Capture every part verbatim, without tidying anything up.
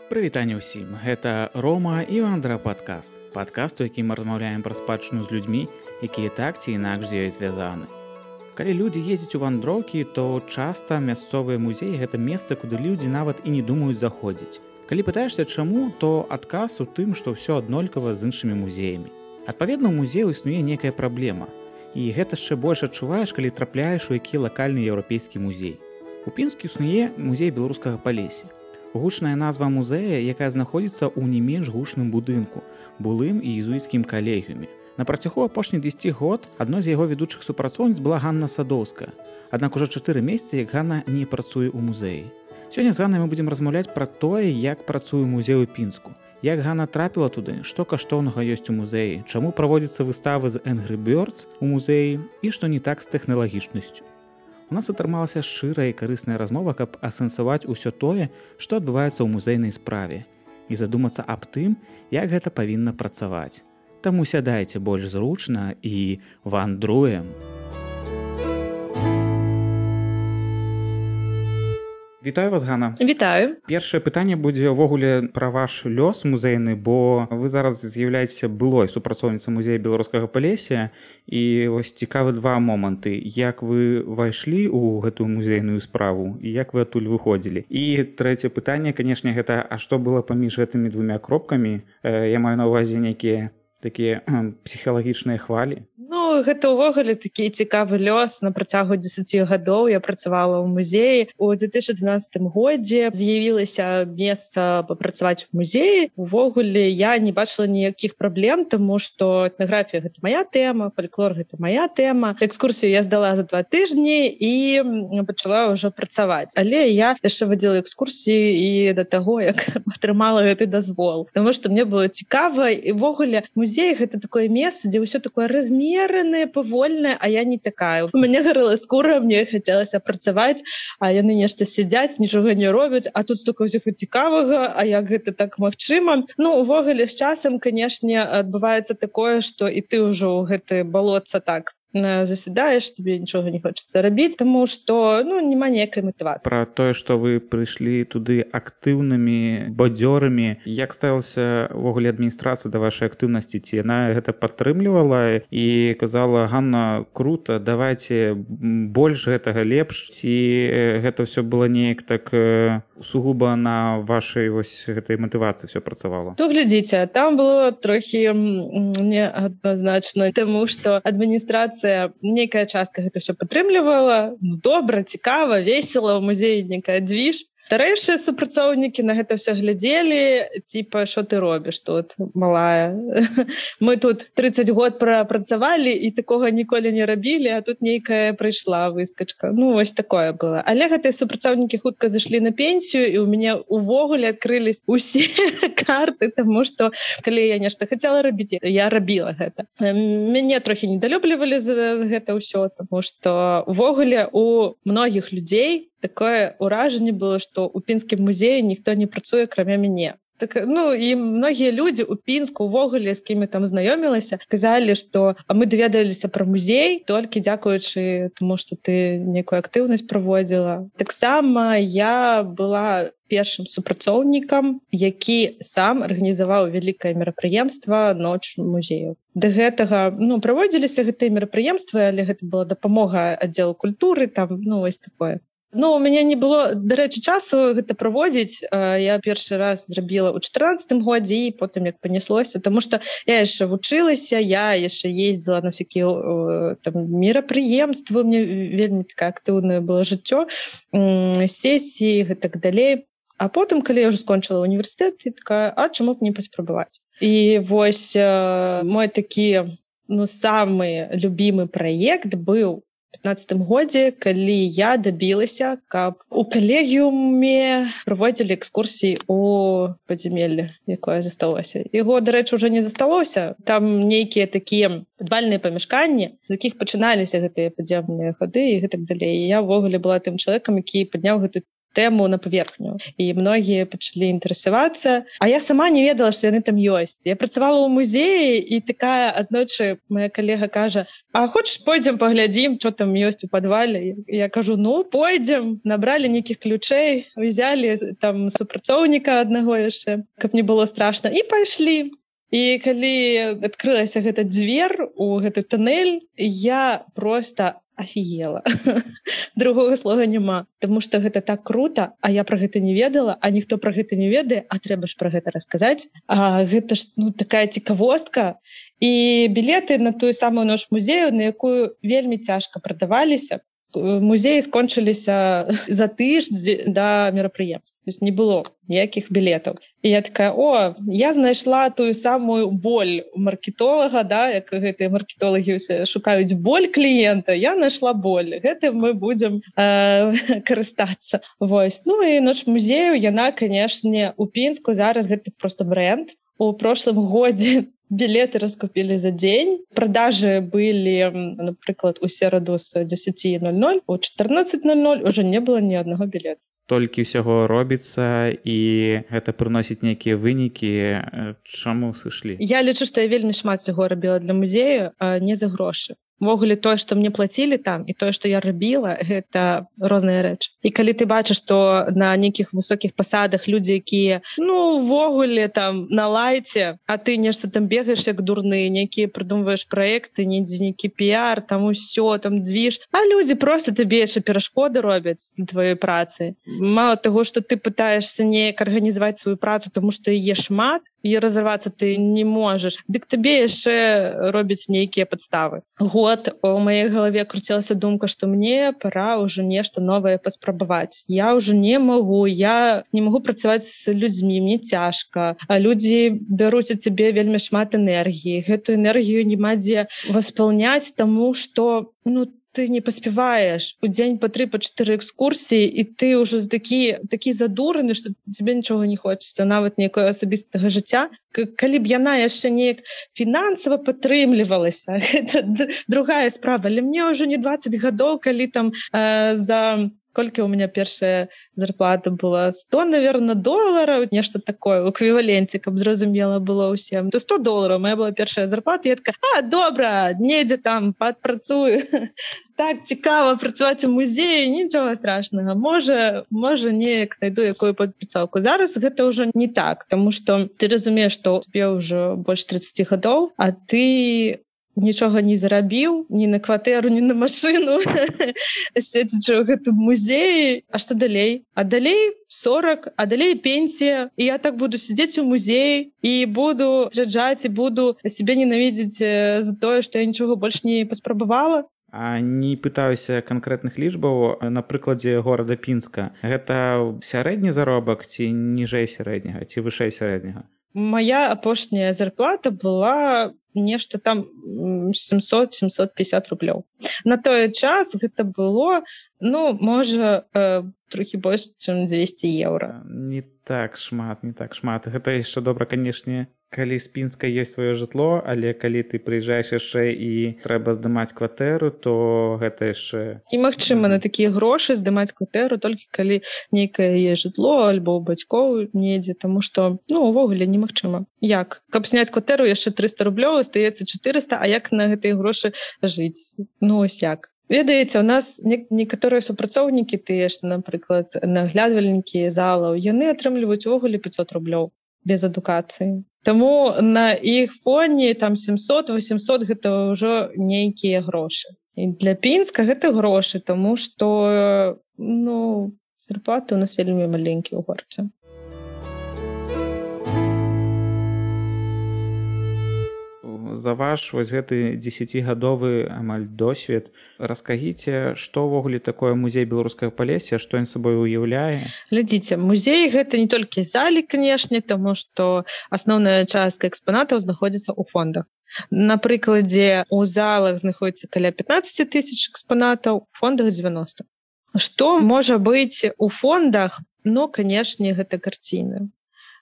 Прывітанне ўсім, гэта Рома і Вандра падкаст. Падкаст, у якім мы размаўляем пра спадчыну з людзьмі, якія так ці інакш з ёй звязаны. Калі людзі ездзяць у вандроўкі, то часта мясцовыя музеі гэта месца, куды людзі нават і не думаюць заходзіць. Калі пытаешся, чаму, то адказ у тым, што ўсё аднолькава з іншымі музеямі. Адпаведна, у музею існуе некая праблема. І гэта яшчэ больш адчуваеш, калі трапляеш у які лакальны еўрапейскі музей. У Пінску існуе музей беларускага Палесся. Гучная назва музея, якая знаходзіцца ў не менш гучным будынку, былым і езуіцкім калегіуме. На працягу апошніх дзесяці год адной з яго ведучых супрацоўніц была Ганна Садоўская. Аднак ужо чатыры месяцы, як Ганна не працуе ў музеі. Сёння з Ганнай мы будзем размаўляць пра тое, як працуе музей у Пінску, як Ганна трапіла туды, што каштоўнага ёсць у музеі, чаму праводзяцца выставы з Angry Birds у музеі і што не так з тэхналагічнасцю. У нас атрымалася шчырая і карысная размова, каб асэнсаваць усё тое, што адбываецца ў музейнай справе, і задумацца аб тым, як гэта павінна працаваць. Таму сядайце больш зручна і вандруем. Вітаю вас, Ганна. Вітаю. Першае пытанне будзе ўвогуле пра ваш лёс музейны, бо вы зараз з'яўляецеся былой супрацоўніцай музея беларускага Палесся, і вось цікавы два моманты. Як вы ўвайшлі ў гэтую музейную справу і як вы адтуль выходзілі? І трэцяе пытанне, канешне, гэта а што было паміж гэтымі двумя кропкамі? Я маю на ўвазе нейкія такія псіхалагічныя хвалі? Ну, гэта ўвогуле такі цікавы лёс. На працягу дзесяці гадоў я працавала ў музеі. У две тысячы дванаццатым годзе з'явілася месца папрацаваць у музеі. Увогуле я не бачыла ніякіх праблем, таму што этнаграфія гэта мая тэма, фальклор гэта мая тэма. Экскурсію я здала за два тыжні і пачала ўжо працаваць. Але я яшчэ вадзіла экскурсіі і да таго, як атрымала гэты дазвол. Таму што мне было цікава, і ўвогуле музей гэта такое месца, дзе ўсё такое размеранае, павольнае, а я не такая. У мяне гарэла скура, мне хацелася працаваць, а яны нешта сядзяць, нічога не робяць, а тут столько ўсяго цікавага, а як гэта так магчыма? Ну, увогуле з часам, канешне, адбываецца такое, што і ты ўжо ў гэты балотца так засядаеш, тебе нічога не хочацца рабіць, таму што ну, няма ніякай матывацыі. Пра тое, што вы прыйшлі туды актыўнымі бадзёрамі, як ставілася ўвогуле адміністрацыя да вашай актыўнасці? Ці яна гэта падтрымлівала і казала: Ганна, круто, давайте больш гэтага, лепш? Ці гэта ўсё было неяк так сугуба на вашай вось гэтай матывацыі ўсё працавала? То глядзіце, там было трохі неадназначна, таму што адміністрацыя нейкая частка гэта ўсё падтрымлівала. Ну, добра, цікава, весела, у музеі некая двіж. Старэйшыя супрацоўнікі на гэта ўсё глядзелі, типа, што ты робіш тут, малая? Мы тут трыццаць год прапрацавалі і такога ніколі не рабілі, а тут нейкая прыйшла выскачка. Ну, вось такое было. Але гэтыя супрацоўнікі хутка зайшлі на пенсію, і ў мяне увогуле адкрылись усе карты, таму што калі я нешта хацела рабіць, я рабіла гэта. Мяне трохі недалюблівалі за гэта ўсё, таму што увогуле у многіх людзей такое ўражанне было, што ў Пінскім музеі ніхто не працуе, акрамя мяне. Так, ну, і многія людзі ў Пінску увогуле, з кімі там знаёмілася, казалі, што мы даведаліся пра музей толькі дзякуючы таму, што ты некую актыўнасць праводзіла. Таксама я была першым супрацоўнікам, які сам арганізаваў вялікае мерапрыемства «Ноч музею». Да гэтага, ну, праводзіліся гэтыя мерапрыемствы, але гэта была дапамога аддзелу культуры, там, ну, вось такое. Ну, у мяне не было, дарэчы, часу гэта праводзіць. Я першы раз зрабіла ў чатырнаццатым годзе і потым як паняслося, таму што я яшчэ вучылася, я яшчэ ездзіла на всякія там мерапрыемствы, мне вельмі такая актыўнае было жыццё, сесіі і так далей. А потым, калі я ўжо скончыла універсітэт, я такая, а чаму б не паспрабаваць? І вось мой такі, ну, самы любімы праект быў у пятнаццатым годзе, калі я дабілася, каб у калегіуме праводзілі экскурсіі у падзямелле, якое засталося. Яго, дарэчы, ўжо не засталося. Там нейкія такія падвальныя памяшканні, з якіх пачыналіся гэтыя падземныя хады і гэтак далей. І я ўвогуле была тым чалавекам, які падняў гэту тэму на паверхню. І многія пачалі інтарэсавацца. А я сама не ведала, што яны там ёсць. Я працавала ў музеі, і такая аднойчы моя калега кажа: «А хочаш, пойдзем паглядзім, што там ёсць у падвале?» Я кажу: «Ну, пойдзем». Набралі нейкіх ключэй, узялі там супрацоўніка аднаго яшчэ, каб не было страшна, і пайшлі. І калі адкрылася гэта дзвер у гэты туннель, я проста афігела. Другога слова няма. Таму што гэта так крута, а я пра гэта не ведала, а ніхто пра гэта не ведае, а трэба ж пра гэта расказаць. А гэта ж ну, такая цікавостка. І білеты на тую самую ноч музею, на якую вельмі цяжка прадаваліся, музеі скончыліся за тыдзень да мерапрыемства. То есть не было ніякіх білетаў. І я такая: о, я знайшла тую самую боль маркетолага, да, як гэтыя маркетолагі шукаюць боль кліента, я знайшла боль. Гэтым мы будзем э, карыстацца. Вось. Ну і ноч музею, яна, канешне, у Пінску зараз гэта просто бренд. У прошлым годзе білеты раскупілі за дзень. Продажы былі, напрыклад, у сераду з дзесяці нуль нуль, у чатырнаццаць нуль нуль уже не было ні аднаго білета. Толькі ўсяго робіцца, і гэта прыносіць нейкія вынікі. Чаму сышлі? Я лічу, што я вельмі шмат усяго рабіла для музею, а не за грошы. Увогуле тое, што мне плацілі там, і тое, што я рабіла, гэта розныя рэчы. І калі ты бачыш, што на нейкіх высокіх пасадах людзі, якія, ну, увогуле там на лайце, а ты нешта там бегаеш як дурны, нейкія прыдумваеш праекты, недзе нейкі піар, там усё, там двіж, а людзі проста табе яшчэ перашкоды робяць на тваёй працы. Мало таго, што ты пытаешься неяк арганізаваць сваю працу, таму што яе шмат, і разарвацца ты не можаш, дык табе яшчэ робяць нейкія падставы. Год у маёй галаве круцілася думка, што мне пора ўжо нешта новае паспрабаваць. Я ўжо не магу, я не магу працаваць з людзьмі, мне цяжка. А людзі бяруць у цябе вельмі шмат энергіі. Гэтую энергію няма дзе васпаўняць, таму што, ну, ты не паспяваеш у дзень па тры, па чатыры экскурсіі, і ты ўжо такі, такі задураны, што тебе нічога не хочацца, нават некага асабістага жыцця. Калі б яна яшчэ неяк фінансава падтрымлівалася, гэта другая справа. Але мне ўжо не дваццаць гадоў, калі там э, за... Колькі у меня першая зарплата была? сто, наверное, долларов, нешта такое, у эквіваленце, каб зразумела было ўсім. То сто долларов моя была першая зарплата, я такая: а, добра, недзе там падпрацую. Так цікава працаваць у музеі, нічога страшнага. Можа, можа неяк найду якую падпрацоўку. Зараз гэта ўжо не так, таму што ты разумееш, што тебе ўжо больш тридцаць гадоў, а ты нічога не зарабіў, ні на кватэру, ні на машыну, седзячы ў гэтым музеі. А што далей? А далей сорок, а далей пенсія. І я так буду сидзець у музеі і буду зраджаць, і буду сябе ненавідзець за тое, што я нічога больш не паспрабавала. А не пытаюся канкрэтных лічбаў на прыкладзе горада Пінска. Гэта сярэдні заробак ці ніжэй сярэдняга, ці вышэй сярэдняга? Моя апошняя зарплата была нешта там семьсот - семьсот пятьдесят рублёў. На той час гэта было, ну, можа, э, трохі больш, чым двести еўра. Не так шмат, не так шмат. Гэта яшчэ добра, канешне, калі з Пінска ёсць сваё жытло, але калі ты прыязджаеш яшчэ і трэба здымаць кватэру, то гэта яшчэ... І магчыма на такія грошы здымаць кватэру толькі калі нейкае є жытло альбо ў бацькоў недзе, таму што, ну, увогуле немагчыма. Як? Каб зняць кватэру яшчэ триста рублёў, астаецца четыреста, а як на гэтыя грошы жыць? Ну, ось як. Ведаеце, у нас некаторыя супрацоўнікі, тыя ж, напрыклад, наглядвальнікі залаў, яны атрымліваюць увогуле пятьсот рублёў без адукацыі. Таму на іх фоне там семьсот - восемьсот гэта ўжо нейкія грошы. І для Пінска гэта грошы, таму што, ну, зарплаты у нас вельмі маленькія ў горадзе. За ваш вось гэты дзесяцігадовы амаль досвед раскажыце, што ўвогуле такое музей беларускага Палесся, што ён сабой уяўляе? Глядзіце, музей гэта не толькі залі, канешне, таму што асноўная частка экспанатаў знаходзіцца ў фондах. На прыкладзе, у залах знаходзіцца каля пятнаццаць тысяч экспанатаў, у фондах девяносто. Што можа быць у фондах? Ну, канешне, гэта карціны.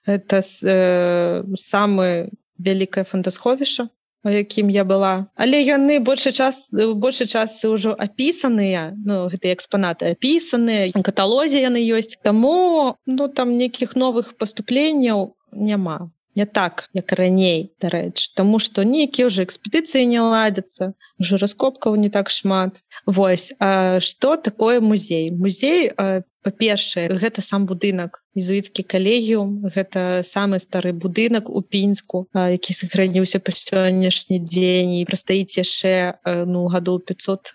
Гэта э, самы вялікае фондасховішча у якім я была. Але яны большы час, большы час ўжо апісаныя, ну, гэтыя экспанаты апісаныя, у каталозе яны ёсць. Таму, ну, там нейкіх новых паступленняў няма. Не так, як раней, дарэчы. Таму што нейкія ўжо экспедыцыі не ладзяцца, ўжо раскопкаў не так шмат. Вось, а што такое музей? Музей, па-першае, гэта сам будынак, езуіцкі калегіум, гэта самы стары будынак у Пінску, які сохраніўся па сённяшні дзень і прастаіць яшчэ, ну, гадоў пяцьсот,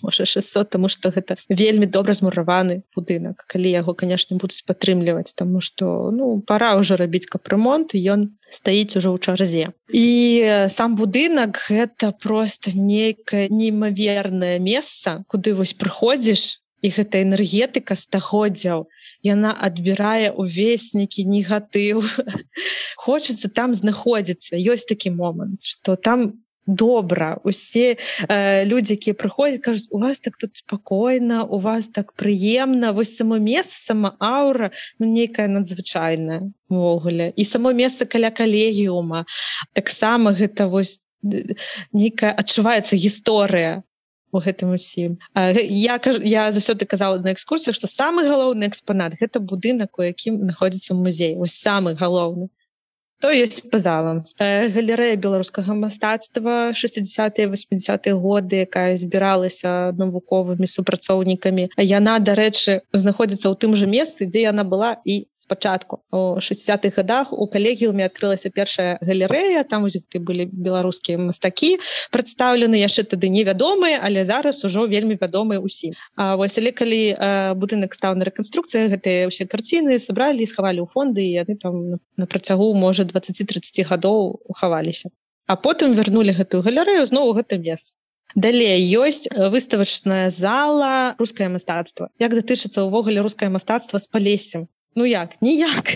можа шэсцьсот, таму што гэта вельмі добра змураваны будынак. Калі яго, канешне, будуць падтрымліваць, таму што, ну, пара ўжо рабіць капрэмонт, і ён стаіць ужо ў чарзе. І сам будынак гэта проста нейкае неймавернае месца, куды вось прыходзіш, і гэта энергетыка стагоддзяў, яна адбірае ўвесь нейкі негатыў. Хочацца там знаходзіцца. Ёсць такі момант, што там добра. Усе э, людзі, якія прыходзяць, кажуць, у вас так тут спакойна, у вас так прыемна. Вось само месца, сама аўра, ну, нейкая надзвычайная увогуле. І само месца каля калегіума. Таксама гэта вось нейкая адчуваецца гісторыя у гэтым усім. Я, я заўсёды казала на экскурсіях, што самы галоўны экспанат — гэта будынак, у якім знаходзіцца музей. Вось самы галоўны. То ёсць па залам. Галерэя беларускага мастацтва шэсцідзясятыя васьмідзясятыя годы, якая збіралася навуковымі супрацоўнікамі. Яна, дарэчы, знаходзіцца ў тым жа месцы, дзе яна была і спачатку. У шэсцідзясятых гадах у калегіуме адкрылася першая галерэя, там вось былі беларускія мастакі прадстаўлены, яшчэ тады невядомыя, але зараз ужо вельмі вядомыя ўсім. А вось, але калі а, будынак стаў на рэканструкцыі, гэтыя ўсе карціны сабралі і схавалі ў фонды, і яны там на працягу, можа, дваццаць-трыццаць гадоў хаваліся. А потым вярнулі гэтую галерэю зноў у гэта месца. Далей ёсць выставачная зала рускае мастацтва. Як датычыцца ўвогуле рускае мастацтва з Палессем? Ну як? Ніяк.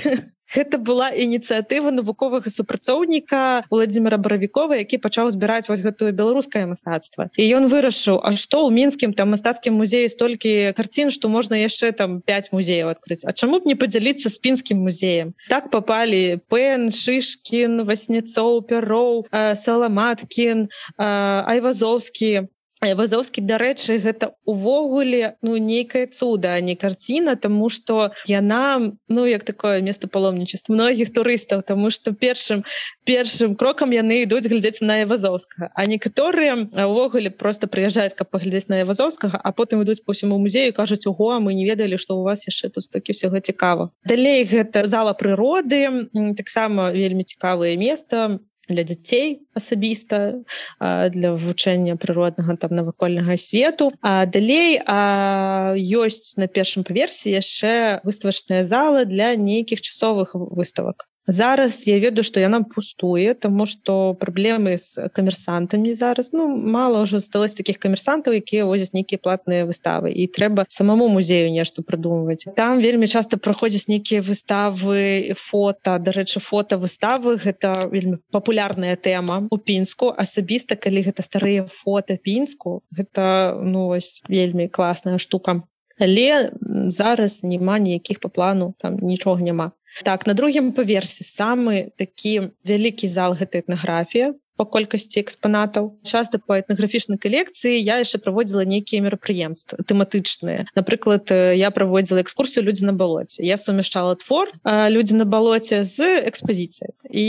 Гэта была ініцыятыва навуковага супрацоўніка Владзіміра Баравікова, які пачаў збіраць вось гэтую беларускае мастацтва. І ён вырашыў, а што ў мінскім там мастацкім музеі столькі карцін, што можна яшчэ там пяць музеяў адкрыць. А чаму б не падзяліцца з пінскім музеем? Так папалі Пен, Шышкін, Васняцоў, Пяроў, Саламаткін, Айвазоўскі. Айвазоўскі, дарэчы, гэта увогуле, ну, нейкае цуда, а не карціна, таму што яна, ну, як такое место паломнічества многіх турыстаў, таму што першым, першым крокам яны ідуць глядзець на Айвазоўскага, а некаторыя увогуле просто прыязджаюць, каб паглядзець на Айвазоўскага, а потым ідуць па ўсяму музею і кажуць, ого, мы не ведалі, што у вас яшчэ тут столькі ўсяго цікава. Далей гэта зала прыроды, таксама вельмі цікавае место для дзяцей асабіста, для вывучэння прыроднага там навакольнага свету. А далей а, ёсць на першым паверсе яшчэ выставачная зала для нейкіх часовых выставак. Зараз я ведаю, што яна пустуе, таму што праблемы з камерсантамі зараз, ну, мала ўжо засталось такіх камерсантаў, якія возяць нейкія платныя выставы, і трэба самому музею нешта прыдумваць. Там вельмі часта праходзяць нейкія выставы, фота, дарэчы, фота-выставы, гэта вельмі папулярная тэма у Пінску. Асабіста, калі гэта старыя фота Пінску, гэта, ну, вось, вельмі класная штука. Але зараз няма ніякіх па плану, там нічога няма. Так, на другім паверсе самы такі вялікі зал — гэта этнаграфія па колькасці экспанатаў. Часта па этнаграфічнай калекцыі я яшчэ праводзіла нейкія мерапрыемствы тэматычныя. Напрыклад, я праводзіла экскурсію «Людзі на балоце». Я сумяшчала твор «Людзі на балоце» з экспазіцыяй. І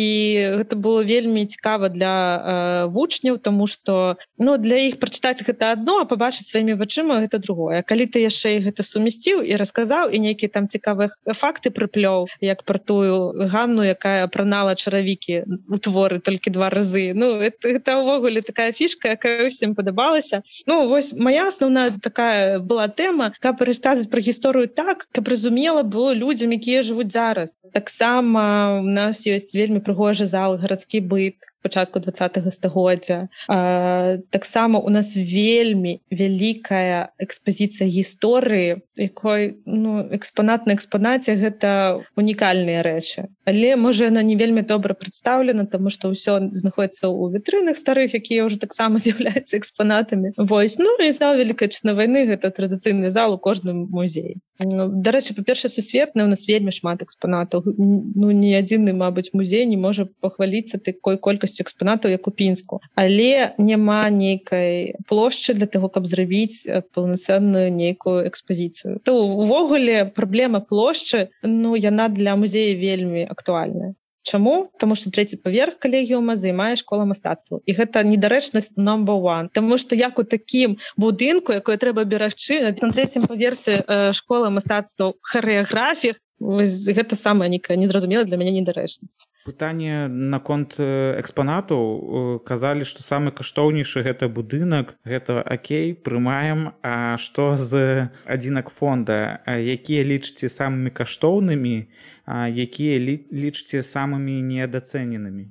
гэта было вельмі цікава для э, вучняў, таму што, ну, для іх прачытаць гэта адно, а пабачыць сваімі вачыма гэта другое. А калі ты яшчэ і гэта сумясціў і расказаў, і нейкія там цікавыя факты прыплёў, як пра тую Ганну, якая апранала чаравікі у творы толькі два разы. Ну, это, это ўвогуле такая фішка, якая ўсім падабалася. Ну, вось моя асноўная такая была тэма, каб расказваць пра гісторыю так, каб разумела было людзям, якія жывуць зараз. Таксама у нас ёсць вельмі прыгожы зал «Гарадскі быт» пачатку дваццатага стагоддзя. Таксама у нас вельмі вялікая экспазіцыя гісторыі, якой, ну, экспанат на экспанаце — гэта унікальныя рэчы. Але, можа, яна не вельмі добра прадстаўлена, таму што ўсё знаходіцца ў вітрынах старых, якія ўжо таксама з'яўляюцца экспанатамі. Вось. Ну, і зал Вялікай Адчайнай вайны — гэта традыцыйны зал у кожным музеі. Дарэчы, па-першае, сусветна, у нас вельмі шмат экспанатаў. Ну, ні адзіны, мабыць, музей не можа пахваліцца такой колькасцю экспанатаў, як у Пінску. Але няма нейкай плошчы для таго, каб зрабіць паўнацэнную нейкую экспазіцыю. То увогуле праблема плошчы, ну, яна для музея вельмі актуальная. Чаму? Таму што трэці паверх калегіума займае школа мастацтваў. І гэта недарэчнасць number one. Таму што як у такім будынку, якое трэба берагчы, на трэцім паверсе школы мастацтваў харэаграфіях, гэта самая нейкая незразумелая для мяне недарэчнасць. Пытанне наконт экспанатаў. Казалі, што самы каштоўнейшы гэта будынак, гэта акей, прымаем. А што з адзінак фонда? Якія лічыце самымі каштоўнымі, а якія лічыце самымі неадацэненымі?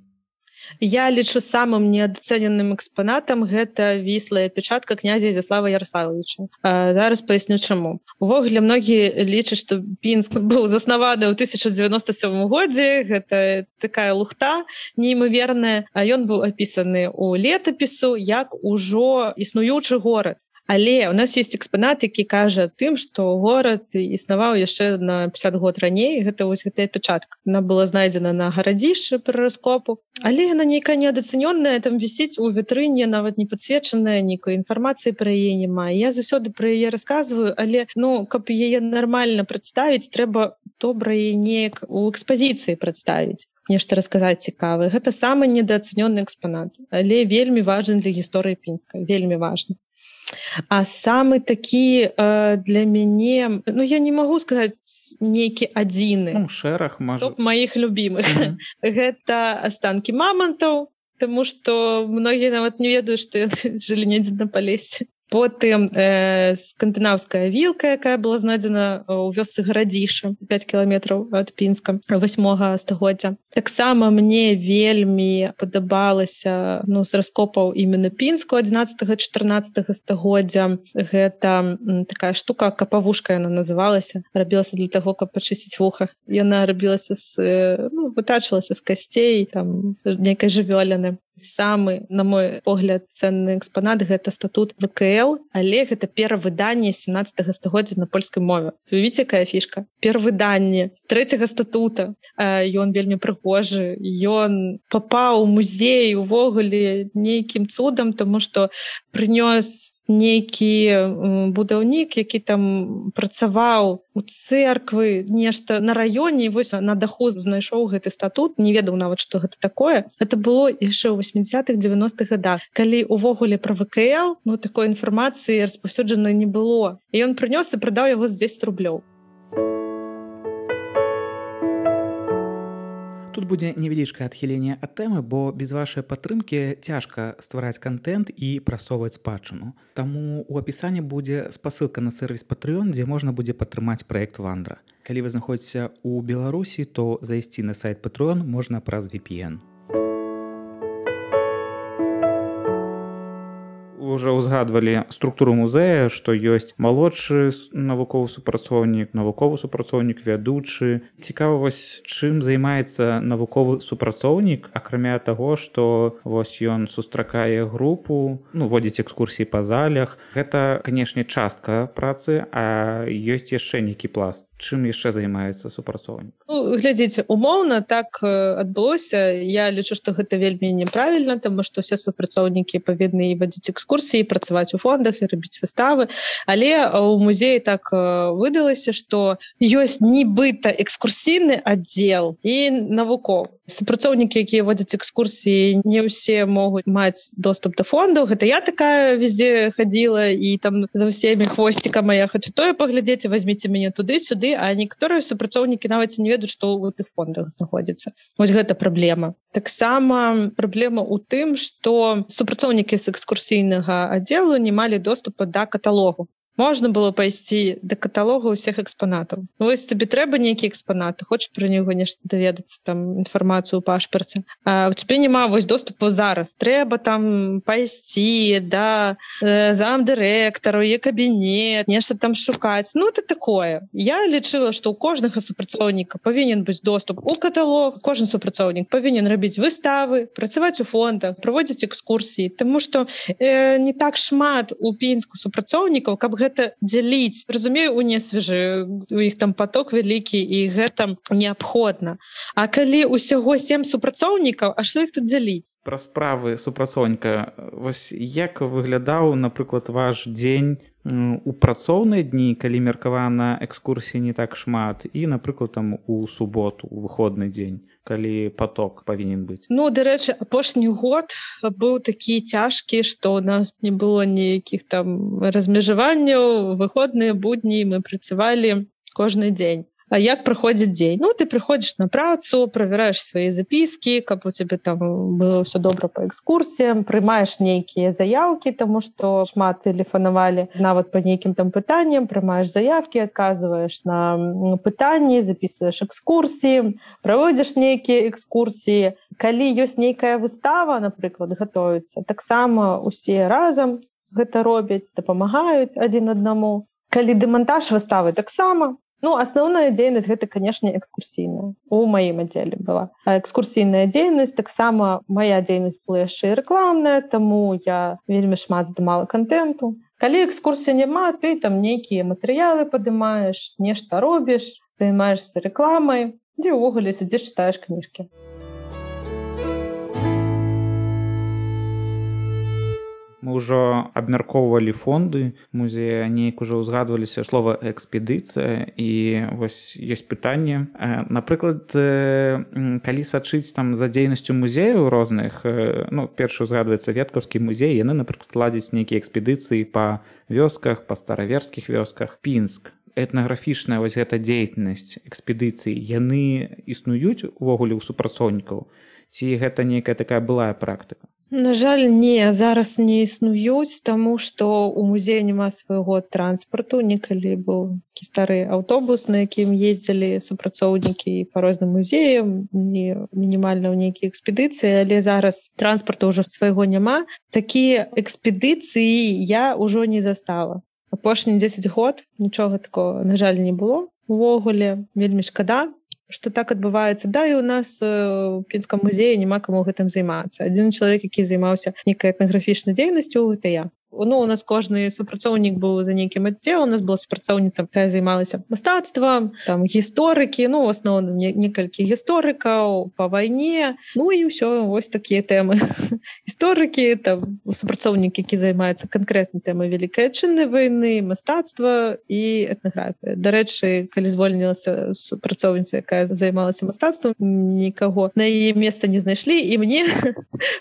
Я лічу самым неадацэненым экспанатам гэта віслая печатка князя Ізяслава Яраславовича. Зараз паясню чаму. Увогуле многія лічаць, што Пінск быў заснаваны ў тысяча дзевяноста сёмым годзе. Гэта такая лухта неймаверная. Ён быў апісаны ў летапісу як ужо існуючы горад. Але ў нас ёсць экспанат, які кажа тым, што горад існаваў яшчэ на пятьдесят год раней. Гэта вось гэтая печатка. Яна была знайдзена на гарадзішчы пры раскопу. Але яна нейкая неадацэнённая, там вісіць у вітрыне, нават не падсвечаная, нейкай інфармацыі пра яе няма. Я заўсёды пра яе расказваю, але ну, каб яе нармальна прадставіць, трэба добра яе неяк у экспазіцыі прадставіць. Нешта расказаць цікавае. Гэта самы недаацэнённы экспанат, але вельмі важны для гісторыі Пінска, вельмі важны. А самы такі э, для мяне, ну я не магу сказаць нейкі адзіны. Ну, шэраг, можа. Топ маіх любімых. Mm-hmm. Гэта астанкі мамантаў, таму што многія нават не ведаюць, што жылі недзе на Палесе. Потым э, скандынаўская вілка, якая была знайдзена ў вёсцы Гарадзіша, пяць кіламетраў ад Пінска, восьмога стагоддзя. Таксама мне вельмі падабалася ну, з раскопаў іменно Пінску адзінаццатага-чатырнаццатага стагоддзя. Гэта м, такая штука, капавушка яна называлася, рабілася для таго, каб пачысціць вуха. Яна рабілася з, ну, вытачвалася з касцей, там, нейкай жывёліны. Самы, на мой погляд, ценны экспанат гэта статут вэ ка эл, але гэта перавыданне сямнаццатага стагоддзя на польскай мове. Вы видите, якая фішка? Перавыданне трэцяга статута. Ён вельмі прыгожы, ён папаў у музей увогуле нейкім цудам, таму што прынёс нейкі будаўнік, які там працаваў у цэрквы, нешта на раёне, і вось на даху знайшоў гэты статут, не ведаў нават, што гэта такое. Гэта было яшчэ ў восьмідзесятых дзевяностых гадах, калі увогуле пра вэ ка эл, ну, такой інфармацыі распаўсюджанай не было. І ён прынёс і прадаў яго за дзесяць рублёў. Тут будзе невялічкае адхіленне ад тэмы, бо без вашай падтрымкі цяжка ствараць кантэнт і прасоўваць спадчыну. Таму ў апісанні будзе спасылка на сервіс Patreon, дзе можна будзе падтрымаць праект Вандра. Калі вы знаходзіцеся ў Беларусі, то зайсці на сайт Patreon можна праз ви пі эн. Уже ўзгадвалі структуру музея, што ёсць малодшы навуковы супрацоўнік, навуковы супрацоўнік, вядучы. Цікава вось, чым займаецца навуковы супрацоўнік, акрамя таго, што вось ён сустракае групу, ну, водзіць экскурсіі па залях. Гэта, канешне, частка працы, а ёсць яшчэ нейкі пласт. Чым яшчэ займаецца супрацоўнік? Ну, глядзіце, умоўна так адбылося. Я лічу, што гэта вельмі неправільна, таму што ўсе супрацоўнікі павінны вадзіць экскурсіі, працаваць у фондах і рабіць выставы. Але у музеі так выдалася, што ёсць нібыта экскурсійны аддзел і навуковы. Супрацоўнікі, якія водзяць экскурсіі, не ўсе могуць маць доступ да фондаў. Гэта я такая везде хадзіла і там за ўсімі хвосцікам, я хочу тое паглядзець, вазьміце мяне туды-сюды, а некаторыя супрацоўнікі нават не ведаюць, што ў тых фондах знаходзіцца. Вось гэта праблема. Таксама праблема ў тым, што супрацоўнікі з экскурсійнага аддзелу не малі доступа да каталогу. Можна было пайсці да каталога ўсіх экспанатаў. Вось табе трэба нейкі экспанат, хочаш пра него нешта даведацца, там інфармацыю ў пашпарце. А у цябе няма вось доступу зараз. Трэба там пайсці да э, замдырэктару, е кабінет, нешта там шукаць. Ну, это такое. Я лічыла, што ў кожнага супрацоўніка павінен быць доступ у каталог, кожны супрацоўнік павінен рабіць выставы, працаваць у фондах, праводзіць экскурсіі, таму што э, не так шмат у Пінску супрацоўнікаў, каб гэта гэта дзяліць? Разумею, у несвежы, у іх там поток вялікі, і гэта неабходна. А калі ўсяго сем супрацоўнікаў, а што іх тут дзяліць? Пра справы супрацоўніка. Вось як выглядаў, напрыклад, ваш дзень у працоўныя дні, калі меркавана экскурсій не так шмат, і, напрыклад, там у суботу, у выходны дзень, калі поток павінен быць? Ну, дарэчы, апошні год быў такі цяжкі, што у нас не было ніякіх там размежаванняў, выходныя будні мы працавалі кожны дзень. А як праходзіць дзень? Ну, ты прыходзіш на працу, правяраеш свае запіскі, каб у цябе там было ўсё добра па экскурсіям, прымаеш нейкія заяўкі, таму што шмат тэлефанавалі нават па нейкім там пытанням, прымаеш заявкі, адказваеш на пытанні, запісваеш экскурсіі, праводзіш нейкія экскурсіі. Калі ёсць нейкая выстава, напрыклад, гатуецца, таксама усе разам гэта робяць, дапамагаюць адзін аднаму. Калі дэмантаж выставы, таксама. Ну, асноўная дзейнасць гэта, канешне, экскурсійная. У маім аддзеле была. А экскурсійная дзейнасць, таксама мая дзейнасць была яшчэ і рэкламная, таму я вельмі шмат здымала кантэнту. Калі экскурсія няма, ты там нейкія матэрыялы падымаеш, нешта робіш, займаешся рэкламай, ды ўвогуле сядзіш, чытаеш кніжкі. Мы ўжо абмяркоўвалі фонды музея, неяк ужо ўзгадваліся слова экспедыцыя, і вось ёсць пытанне. Напрыклад, калі сачыць там за дзейнасцю музеяў розных, ну, першы ўзгадваецца Веткаўскі музей, яны, напрыклад, ладзяць нейкія экспедыцыі па вёсках, па стараверскіх вёсках. Пінск, этнаграфічная вось гэта дзейнасць экспедыцыі, яны існуюць увогуле ў супрацоўнікаў? Ці гэта нейкая такая былая практыка? На жаль, не, зараз не існуюць, таму што ў музеі няма свайго транспарту. Некалі быў такі стары аўтобус, на якім ездзілі супрацоўнікі па розным музеям, і мінімальна ў нейкія экспедыцыі, але зараз транспарту ўжо свайго няма. Такія экспедыцыі я ўжо не застала. Апошні дзесяць год нічога такого, на жаль, не было. Увогуле, вельмі шкада, што так адбываецца. Да, і у нас у Пінскім музеі няма каму гэтым займацца. Адзін чалавек, які займаўся нейкай этнаграфічнай дзейнасцю, гэта я. Ну, у нас кожны супрацоўнік быў за нейкім аддзелам, у нас была супрацоўніца, якая займалася мастацтвам, там гісторыкі, ну, у асноўным некалькі гісторыкаў па вайне, ну і ўсё, вось такія тэмы. Гісторыкі, там супрацоўнік, які займаецца канкрэтнай тэмай Вялікай Адчыннай вайны, мастацтва і этнаграфія. Дарэчы, калі звольнілася супрацоўніца, якая займалася мастацтвам, нікаго на яе месца не знайшлі, і мне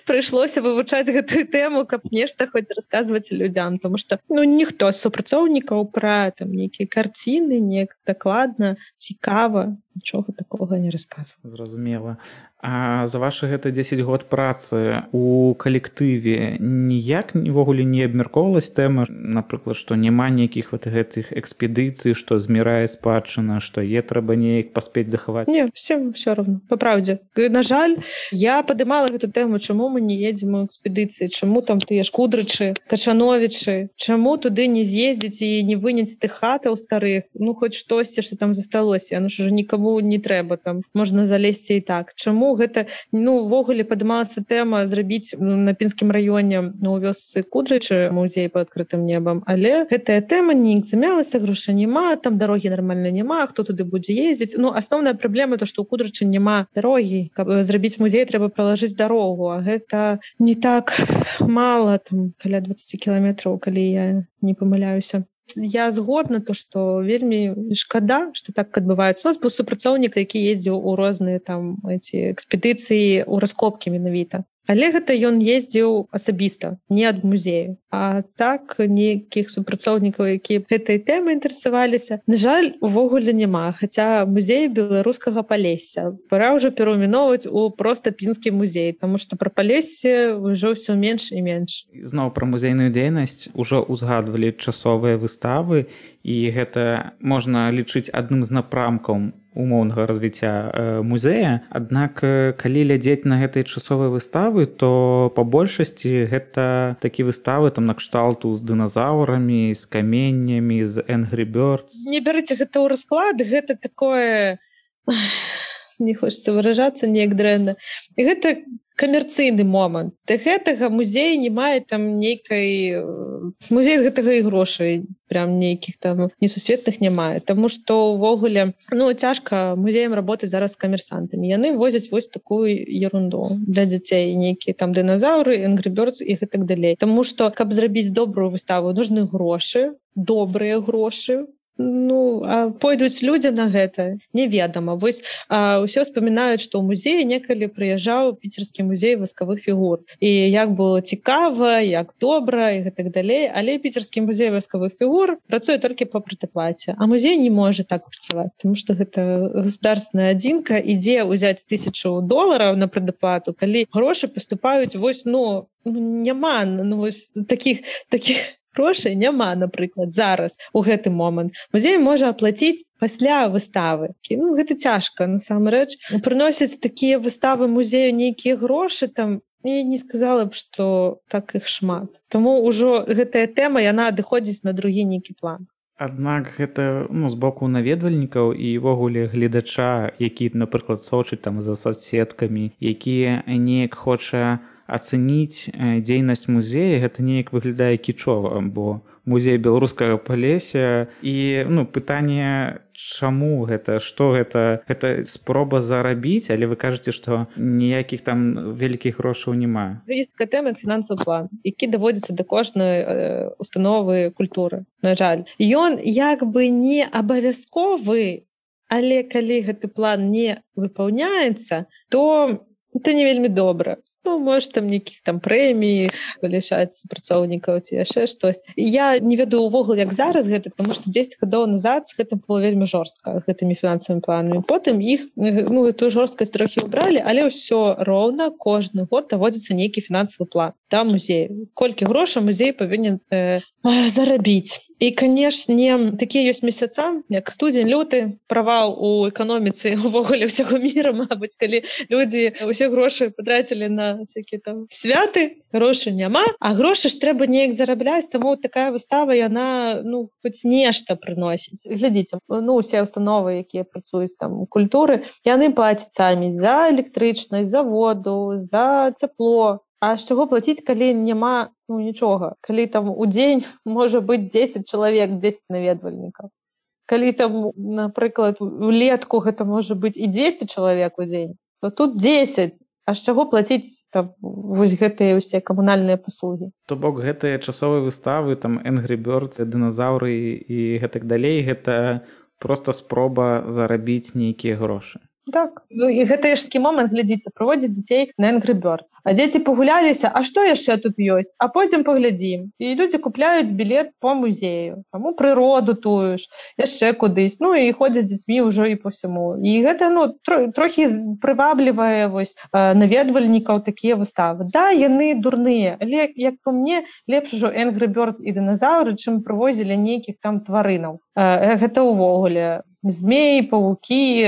прыйшлося вывучаць гэтую тэму, каб нешта хоць расказваць людзям, тому што ну ніхто з супрацоўнікаў пра там нейкія карціны неяк дакладна, цікава, нічога такога не расказваў. Зразумела. А за вашы гэта дзесяць год працы у калектыве ніяк увогуле не абмяркоўвалась тэма, напрыклад, што няма нейкіх вот гэтых экспедыцый, што змірае спадчына, што е трэба неяк паспець захаваць? Не, всем все равно, по правде. На жаль, я падымала гэту тэму, чаму мы не едзем у экспедыцыі, чаму там тыя ж Кудрычы, Качановічы, чаму туды не з'ездзіць і не выняць тых хатаў старых, ну хоць штосьці, што там засталося, яно ж ужо нікому не трэба, там можна залезці і так. Чаму гэта, ну, увогуле падымалася тэма зрабіць на Пінскім раёне у вёсцы Кудрычы музей па адкрытым небам, але гэтая тэма неяк замялася, грошай няма, там дарогі нармальна няма, хто туды будзе ездзіць. Ну, асноўная праблема то, што ў Кудрычы няма дарогі. Каб зрабіць музей, трэба пралажыць дарогу, а гэта не так мала, там каля дваццаць кіламетраў, калі я не памыляюся. Я згодна то, што вельмі шкада, што так адбываецца. У нас быў супрацоўнік, які ездзіў у розныя там эти экспедыцыі, у раскопкі менавіта. Але гэта ён ездзіў асабіста, не ад музею. А так нейкіх супрацоўнікаў, якія гэтай тэмай інтарэсаваліся, на жаль, увогуле няма. Хаця музей беларускага Палесся пора ўжо перайменоўваць у проста Пінскі музей, таму што пра Палессе ўжо ўсё менш і менш. Зноў пра музейную дзейнасць ужо ўзгадвалі часовыя выставы, і гэта можна лічыць адным з напрамкаў умоўнага развіцця музея. Аднак, калі глядзець на гэтыя часовыя выставы, то па большасці гэта такія выставы там накшталту з дыназаўрамі, з каменнямі, з Angry Birds. Не бярыце гэта ў расклад, гэта такое... не хочацца выражацца неяк дрэнна. І гэта камерцыйны момант. Да гэтага музей не мае там нейкай... Музей з гэтага і грошай прям нейкіх там несусветных не мае. Таму што ўвогуле, ну, цяжка музеям работаць зараз з камерсантамі. Яны возяць вось такую ерунду для дзяцей, нейкія там дыназаўры, Angry Birds і гэтак далей. Таму што, каб зрабіць добрую выставу, нужны грошы, добрыя грошы. Ну, а пойдуць людзі на гэта, неведама. Вось а, ўсё вспамінаюць, што ў музеі некалі прыязджаў піцерскі музей васкавых фігур. І як было цікава, як добра і гэтак далей. Але піцерскі музей васкавых фігур працуе толькі па прэдэплаце. А музей не можа так працаваць, таму што гэта государственная адзінка, ідзе ўзяць тысячу долараў на прэдэплату, калі грошы паступаюць вось, ну, няма ну, вось такіх такіх грошай няма, напрыклад, зараз у гэты момант. Музей можа аплаціць пасля выставы. Ну, гэта цяжка, насамрэч. Прыносяць такія выставы музею нейкія грошы, там, я не сказала б, што так іх шмат. Таму ўжо гэтая тэма, яна адыходзіць на другі нейкі план. Аднак гэта ну, з боку наведвальнікаў і ўвогуле гледача, які, напрыклад, сочыць там за соцсеткамі, які неяк хоча ацаніць дзейнасць музея, гэта неяк выглядае кічова, бо музей беларускага Палесся і ну, пытанне, чаму гэта, што гэта, гэта спроба зарабіць, але вы кажаце, што ніякіх там вялікіх грошаў няма. Ёсць такая тэма фінансавы план, які даводзіцца да кожнай э, установы культуры, на жаль. Ён як бы не абавязковы, але калі гэты план не выпаўняецца, то это не вельмі добра. Ну, может, там нейкіх там прэмій вылічаць працоўнікаў ці яшчэ штось. Я не ведаю ўвогуле, як зараз гэта, потому што дзесяць гадоў назад з гэтым было вельмі жорстка, гэтымі фінансавымі планамі. Потым іх, ну, эту жорсткасць трохі ўбралі, але ўсё роўна кожны год даводзіцца нейкі фінансавы план да музею. Колькі грошай музей павінен э, зарабіць. І, канешне, такія ёсць месяца, як студзень, люты, правал у эканоміцы ўвогуле ўсяго міра, мабыць, калі людзі ўсе грошы патрацілі на всякие там святы, грошай няма, а грошы ж трэба неяк зарабляць, таму такая выстава, яна, ну, хоць нешта прыносіць. Глядзіце, ну, усе установы, якія працуюць там у культуры, яны плацяць самі за электрычнасць, за воду, за цепло. А з чаго плаціць, калі няма ну, нічога? Калі там у дзень можа быць дзесяць чалавек, дзесяць наведвальнікаў. Калі там, напрыклад, улетку гэта можа быць і дзвесце чалавек у дзень, то тут дзесяць. А з чаго плаціць там вось гэтыя ўсе камунальныя паслугі? То бок гэтыя часовыя выставы, там Angry Birds, дыназаўры і гэтак далей, гэта проста спроба зарабіць нейкія грошы. Так. Ну, і гэта яшкі момант, глядзіце, прыводзяць дзяцей на Angry Birds. А дзеці пагуляліся, а што яшчэ тут ёсць? А пойдзем паглядзім. І людзі купляюць білет по музею, там у прыроду тую ж, яшчэ кудысь. Ну і ходзяць з дзецьмі ўжо і по всяму. І гэта ну тро, трохі прываблівае вось наведвальнікаў такія выставы. Да, яны дурныя, але як по мне, лепш ужо Angry Birds і дыназаўры, чым прывозілі нейкіх там тварынаў. Гэта ўвогуле змеі, павукі,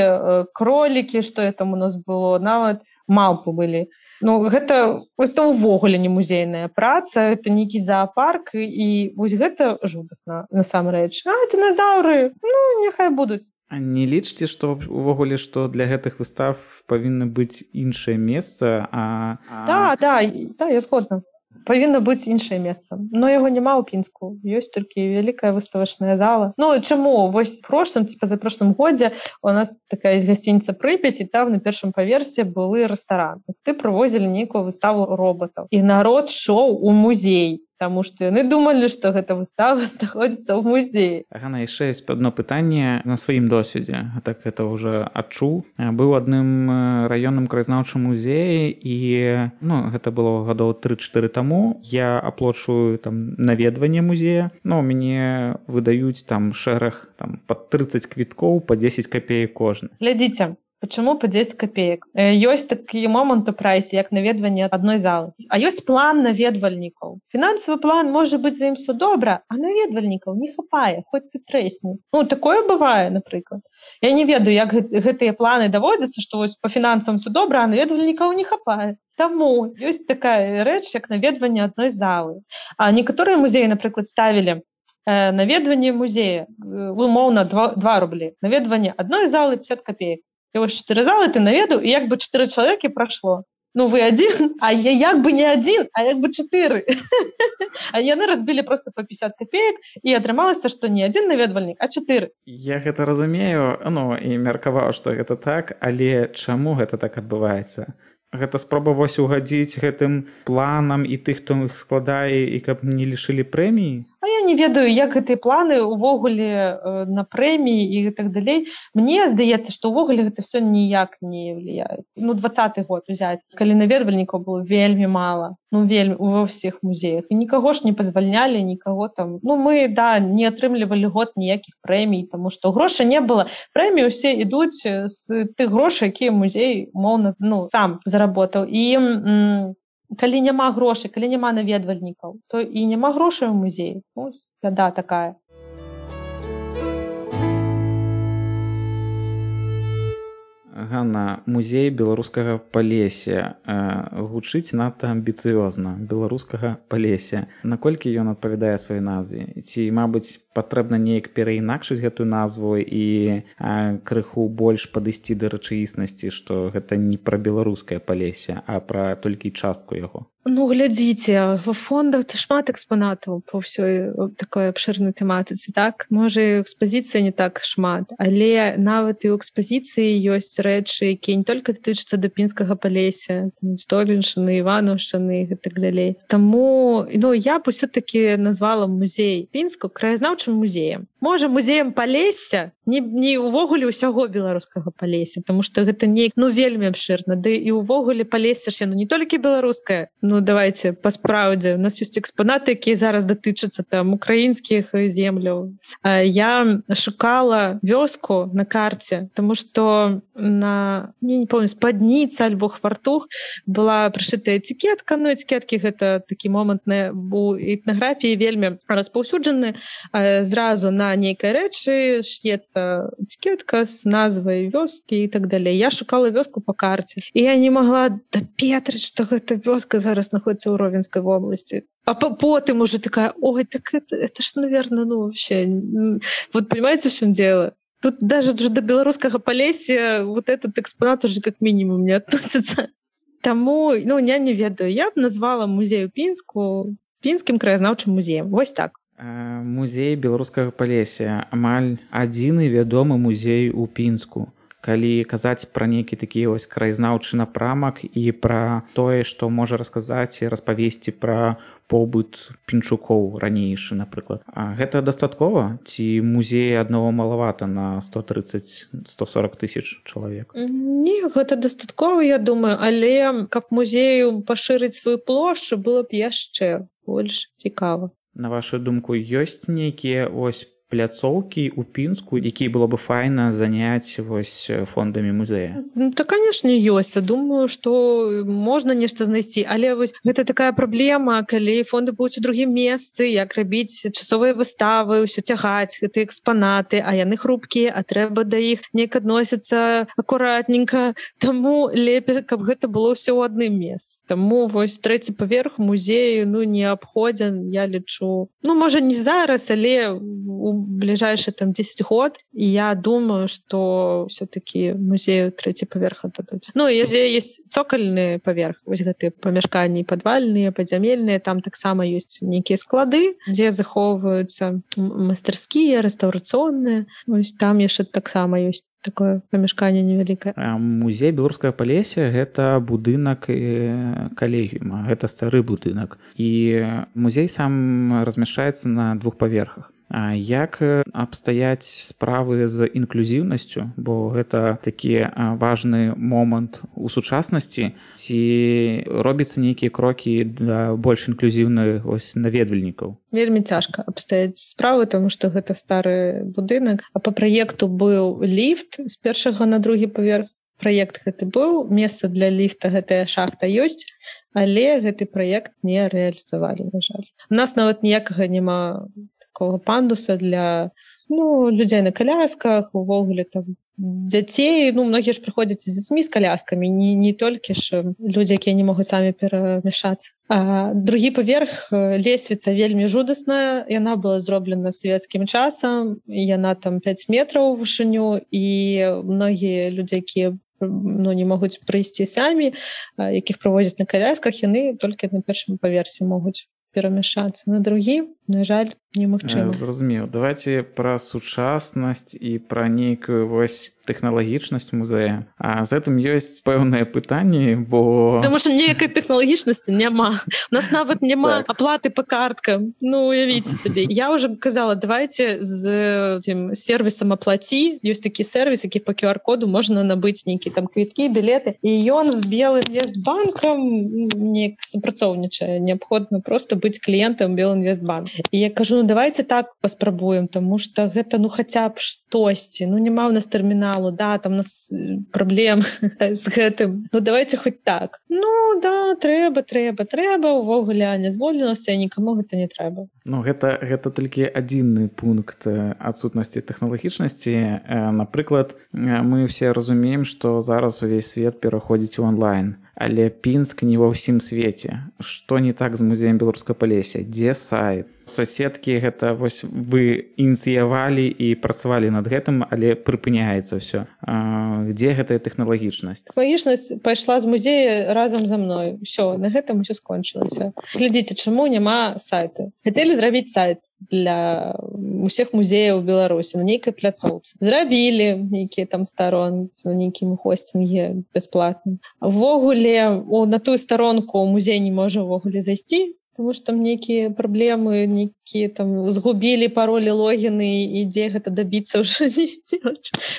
кролікі, што там у нас было, нават малпы былі. Ну, гэта, гэта ўвогуле не музейная праца, гэта нейкі зоапарк, і вось гэта жудасна, насамрэч. А, дыназаўры, ну, няхай будуць. А не лічыце, што ўвогуле, што для гэтых выстав павінна быць іншае месца, а... Да, да, да, я згодна. Павінна быць іншае месца. Но яго няма ў Пінску. Ёсць толькі вялікая выставачная зала. Ну, чаму? Вось в прошлым, ці пазапрошлым годзе у нас такая есть гасцініца Прыпяць, і там на першым паверсе былы рэстаран. Ты прывозілі нейкую выставу роботаў. І народ шоў у музей. Таму што яны думалі, што гэта выстава знаходзіцца ў музеі. Ганна, яшчэ ёсць адно пытанне на сваім досведзе. Так гэта ўжо адчуў. Быў адным раённым краязнаўчым музеі і ну, гэта было гадоў тры-чатыры таму. Я аплачваю там наведванне музея. Ну, мяне выдаюць там шэраг там пад трыццаць квіткоў па дзесяць капеек кожны. Глядзіце. Почему по десять копеек? Ёсць такі момант у прайсе, як наведванне адной залы. А ёсць план наведвальнікаў. Фінансавы план можа быць за ім все добра, а наведвальнікаў не хапае, хоць ты трэсні. Ну, такое бывае, напрыклад. Я не ведаю, як гэтыя планы даводзяцца, што вось па фінансам все добра, а наведвальнікаў не хапае. Таму ёсць такая рэч, як наведванне адной залы. А некаторыя музеі, напрыклад, ставілі наведванне музея, умоўна два рублі. Наведванне адной залы пятьдесят копеек. І вось чатыры залы ты наведаў, і як бы чатыры чалавекі прайшло. ну вы адзін, а я як бы не адзін, а як бы чатыры. А яны разбілі просто па пятьдесят копеек, і атрымалася, што не адзін наведвальнік, а чатыры. Я гэта разумею, ну і меркаваў, што гэта так, але чаму гэта так адбываецца? Гэта спроба вось угадзіць гэтым планам і тых, хто іх складае, і каб не лішылі прэміі? А я не ведаю, як гэтыя планы ўвогуле э, на прэміі і так далей. Мне здаецца, што ўвогуле гэта все ніяк не влияет. Ну, двадцаты год узяць, калі наведвальнікаў было вельмі мала, ну, вельмі ва ўсіх музеях. І нікаго ж не пазвальнялі, нікаго там... Ну, мы, да, не атрымлівалі год ніякіх прэмій, таму што грошай не было. Прэміі ўсе ідуць з тых грошай, якія музей, умоўна, ну, сам заработаў. І... М- калі няма грошай, калі няма наведвальнікаў, то і няма грошай у музеі. Ось, бяда такая. Ганна, музей беларускага Палесся гучыць надта амбіцыёзна, беларускага Палесся. Наколькі ён адпавядае сваёй назве? Ці, мабыць, патрэбна неяк пераінакшыць гэтую назву і крыху больш падысці да рэчаіснасці, што гэта не пра беларускае Палесся, а пра толькі частку яго? Ну, глядзіце, ва фондах шмат экспанатаў па ўсёй такой абшырнай тэматыцы, так? Можа, і экспазіцыі не так шмат, але нават і ў экспазіцыі ёсць рэчы, якія не толькі датычацца да пінскага Палесся, Століншчыны, Іванаўшчыны і так далей. Таму, ну, я б усё-такі назвала музей Пінску краязнаўчым музеем. Можа, музеем Палесся, не, не ўвогуле ўсяго беларускага Палесся, таму што гэта не, ну, вельмі абшырна. Ды і ўвогуле Палесся ж яно не толькі беларускае. Ну, давайте па справдзе. У нас ёсць экспанаты, якія зараз датычацца там украінскіх земляў. Я шукала вёску на карце, таму што на, не, не помню, спадніца альбо хвартух была прышытая этикетка. Ну, этикеткі гэта такі момант у этнаграфіі вельмі распаўсюджаны. Зразу на нейкай рэчы ш'ецца этикетка з назвай вёскі і так далей. Я шукала вёску па карце, і я не магла дапетрыць, што гэта вёска зараз находится ў Ровенскай области. А потом уже такая, ой, так это, это ж, наверное, ну вообще... Вот понимаете, в чем дело? Тут даже до белорусского Палесся вот этот экспонат уже как минимум не относится. Тому, ну, я не ведаю. Я б назвала музей у Пінску Пінскім краязнаўчым музеем. Вось так. Музей беларускага Палесся амаль адзіны вядомы музей у Пінску. Калі казаць пра нейкі такі ось краязнаўчы напрамак і пра тое, што можа расказаць і распавесці пра побыт пінчукоў ранейшы, напрыклад. А гэта дастаткова? Ці музея аднаго малавата на сто тридцать - сто сорок тысяч чалавек? Не, гэта дастаткова, я думаю, але каб музею пашырыць сваю плошчу, было б яшчэ больш цікава. На вашу думку, ёсць нейкія ось пляцоўкі ў Пінску, якія было бы файна заняць вось фондамі музея? Ну, то, конечно, ёсць. Я думаю, што можна нешта знайсці, але вось гэта такая праблема, калі фонды будуць у другім месцы, як рабіць часовыя выставы, ўсё цягаць, гэтыя экспанаты, а яны хрупкія, а трэба да іх неяк адносіцца акуратненька. Таму лепей, каб гэта было ўсё ў адным месцы. Таму вось трэці паверх музею, ну, неабходзен, я лічу. Ну, можа, не зараз, але у ближайшие там десять год, и я думаю, что все-таки музею третий поверх отдадут. Ну, и есть цокольный поверх, вот гэтыя памяшканні падвальныя, падзямельныя, там таксама ёсць нейкія склады, дзе захоўваюцца мастерскія, рэстаўрацыйныя. Вось там яшчэ таксама ёсць такое памяшканне невялікае. Музей беларускага Палесся гэта будынак калегіума, гэта стары будынак. І музей сам размяшчаецца на двух паверхах. Як абстаяць справы з інклюзіўнасцю, бо гэта такі важны момант у сучаснасці, ці робіцца нейкія крокі да больш інклюзіўных ось наведвальнікаў? Вельмі цяжка абстаяць справы, таму што гэта стары будынак, а па праекту быў ліфт з першага на другі паверх. Праект гэты быў, месца для ліфта, гэтая шахта ёсць, але гэты праект не рэалізавалі, на жаль. У нас нават ніякага няма такого пандуса для, ну, людзей на колясках, увогуле там дзяцей. Ну, многія ж прыходзяць з дзецьмі з коляскамі, не, не толькі ж людзі, якія не могуць самі перамяшацца. А другі паверх, лесвіца вельмі жудасная, яна была зроблена савецкім часам, яна там пяць метраў у вышыню, і многія людзі, якія ну, не могуць прыйсці самі, якіх правозяць на калясках, яны толькі на першым паверсе могуць перамяшацца. На другі, на жаль, немагчыма. Зразумеў. Давайте пра сучаснасць і пра нейкую вось тэхналагічнасць музея. А з гэтым ёсць пэўныя пытанні, бо... Таму што ніякай тэхналагічнасці няма. У нас нават няма аплаты па карткам. Ну, уявіце сабе. Я ўжо казала, давайте з тим сервісам аплаці. Ёсць такі сервіс, які па ку ар коду можна набыць нейкі там квіткі, білеты. І ён з Белінвестбанкам неяк супрацоўнічае. Неабходна проста быць кліентам Белінвестбанка. І я кажу, ну давайте так паспрабуем, тому што гэта ну хаця б штосьці. Ну няма ў нас тэрміналу, да, там у нас праблем з гэтым. Ну давайте хоць так. Ну да, трэба, трэба, трэба, увогуле не звольнілася, нікому гэта не трэба. Ну гэта, гэта толькі адзінны пункт адсутнасці тэхналагічнасці. Напрыклад, мы ўсе разумеем, што зараз увесь свет пераходзіць у онлайн. Але Пінск не ва ўсім свеце. Што не так з музеем беларускага Палесся? Дзе сайт? Суседкі гэта вось вы ініцыявалі і працавалі над гэтым, але прыпыняецца ўсё. Дзе гэтая тэхналагічнасць? Тэхналагічнасць пайшла з музея разам за мной. Усё, на гэтым усё скончылася. Глядзіце, чаму няма сайта? Хацелі зрабіць сайт для усіх музеяў Беларусі на нейкай пляцоўцы. Зрабілі нейкія там старонцы, на нейкім хостинге бясплатным. Увогуле на тую старонку музей не можа ўвогуле зайсці, тому што там нейкія праблемы, нейкія там згубілі паролі, логіны, і дзе гэта дабіцца ўжо не.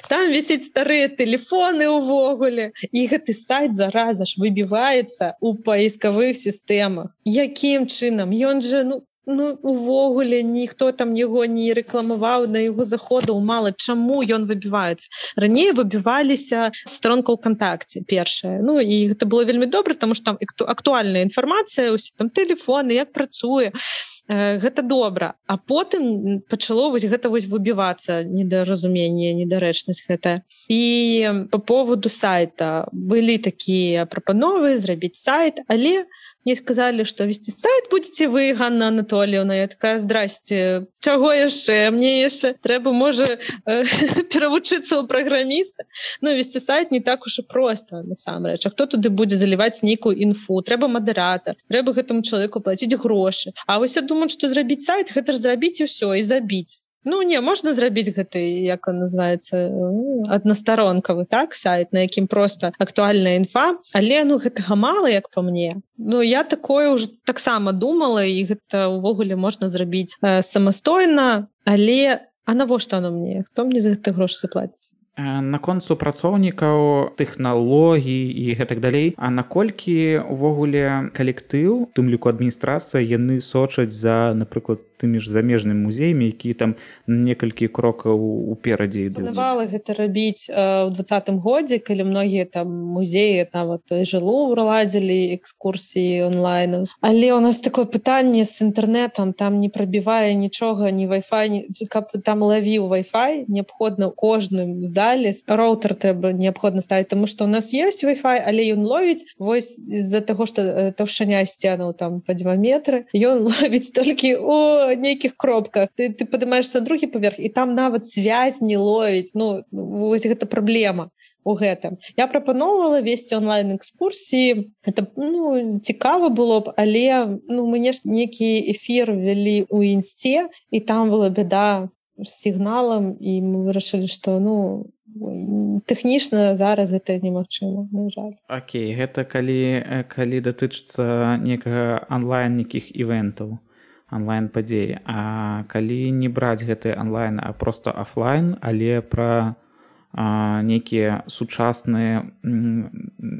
Там вісіць старыя тэлефоны ўвогуле. І гэты сайт зараза ж выбіваецца ў паіскавых сістэмах. Якім чынам? Ён жа, ну, Ну, увогуле, ніхто там яго не рэкламаваў, на яго заходаў мала. Чаму ён выбіваецца? Раней выбіваліся старонка ў кантакце, першая. Ну, і гэта было вельмі добра, таму што там актуальная інфармацыя, усе там тэлефоны, як працуе. Гэта добра. А потым пачало вось гэта вось выбівацца, недаразуменне, недарэчнасць гэтая. І па поводу сайта былі такія прапановы зрабіць сайт, але мне сказали, што весці сайт будзеце вы, Ганна Анатольевна. Я такая, здрасце, чаго яшчэ? Мне яшчэ трэба, можа, перавучыцца ў праграміста. Ну, весці сайт не так уж і проста, насамрэч. А хто туды будзе заліваць нейкую інфу? Трэба мадэратар, трэба гэтаму чалавеку плаціць грошы. А вось я думаю, што зрабіць сайт, гэта ж зрабіць і ўсё, і забіць. Ну, не, можна зрабіць гэты, як он называецца, аднастаронкавы, так, сайт, на якім проста актуальная інфа, але, ну, гэтага мала, як па мне. Ну, я такое ўжо таксама думала, і гэта ўвогуле можна зрабіць э, самастойна, але, а навошта оно мне? Хто мне за гэта грошы заплаціць? Наконт супрацоўнікаў, тэхналогій і гэтак далей, а наколькі ўвогуле калектыў, тым ліку адміністрацыя, яны сочаць за, напрыклад, тымі ж замежнымі музеямі, якія там некалькі крокаў уперадзе ідуць. Планавала гэта рабіць э, ў двадцатым годзе, калі многія там музеі нават жылу ладзілі экскурсіі онлайн. Але ў нас такое пытанне з інтэрнэтам, там не прабівае нічога, ні Wi-Fi, ні, каб там лавіў Wi-Fi, неабходна ў кожным зале роутер трэба неабходна ставіць, таму што ў нас ёсць Wi-Fi, але ён ловіць вось з-за таго, што таўшчыня сценаў там па два метры, ён ловіць толькі у нейкіх кропках. Ты, ты падымаешься на другі паверх, і там нават связь не ловіць. Ну, вось гэта праблема у гэтым. Я прапаноўвала весці онлайн-экскурсіі. Гэта, ну, цікава было б, але, ну, мы нейкі эфір вялі ў інсце, і там была бяда з сігналам, і мы вырашылі, што, ну, тэхнічна зараз гэта немагчыма, на жаль. Окей, гэта калі, калі датычыцца некага онлайн нейкіх івентаў, онлайн-падзеі. А калі не браць гэты онлайн, а проста офлайн, але пра а, нейкія сучасныя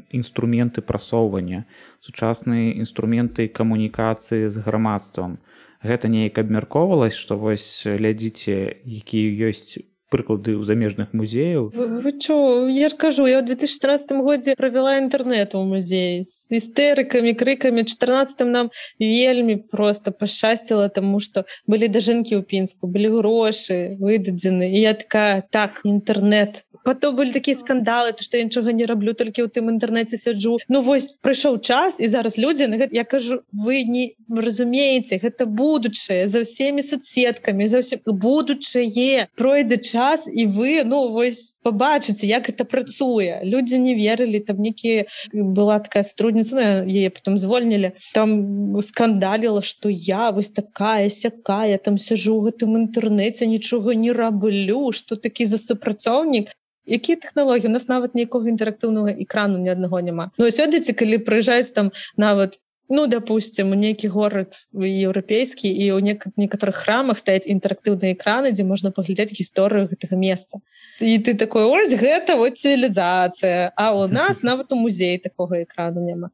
інструменты прасоўвання, сучасныя інструменты камунікацыі з грамадствам. Гэта неяк абмяркоўвалася, што вось глядзіце, якія ёсць прыклады ў замежных музеяў. Вы, вы чё, я ж кажу, я ў две тысячи тринадцатым годзе правяла інтэрнэт у музеі з істэрыкамі, крыкамі. У чатырнаццатым нам вельмі проста пашчасціла, таму што былі дажынкі ў Пінску, былі грошы выдадзены. І я такая, так, інтэрнэт. Потом былі такія скандалы, то што я нічога не раблю, толькі ў тым інтэрнэце сяджу. Ну вось, прыйшоў час, і зараз людзі, я кажу, вы не разумееце, гэта будучае, за ўсімі соцсеткамі, за ўсім будучае, пройдзе час, час, і вы, ну, вось пабачыце, як гэта працуе. Людзі не верылі, там некі была такая сотрудница, ну, яе потом звольнілі, там скандаліла, што я вось такая сякая, там сяжу ў гэтым інтэрнэце, нічога не раблю, што такі за супрацоўнік. Якія тэхналогіі? У нас нават ніякога інтэрактыўнага экрану ні аднаго няма. Ну, ось ведаеце, калі прыязджаюць там нават, ну, допустим, у нейкі горад еўрапейскі, і ў некаторых храмах стаяць інтэрактыўныя экраны, дзе можна паглядзець гісторыю гэтага месца. І ты такой, ось гэта вот цывілізацыя, а у нас нават у музеі такога экрану няма.